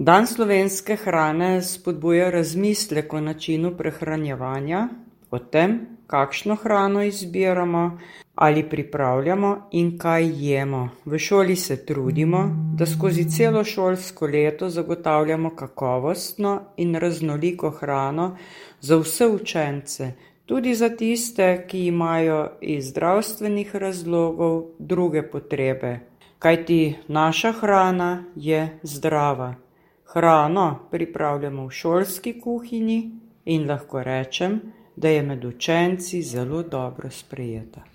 Dan slovenske hrane spodbuja razmislek o načinu prehranjevanja, o tem, kakšno hrano izbiramo ali pripravljamo in kaj jemo. V šoli se trudimo, da skozi celo šolsko leto zagotavljamo kakovostno in raznoliko hrano za vse učence, tudi za tiste, ki imajo iz zdravstvenih razlogov druge potrebe, kajti naša hrana je zdrava. Hrano pripravljamo v šolski kuhinji in lahko rečem, da je med učenci zelo dobro sprejeta.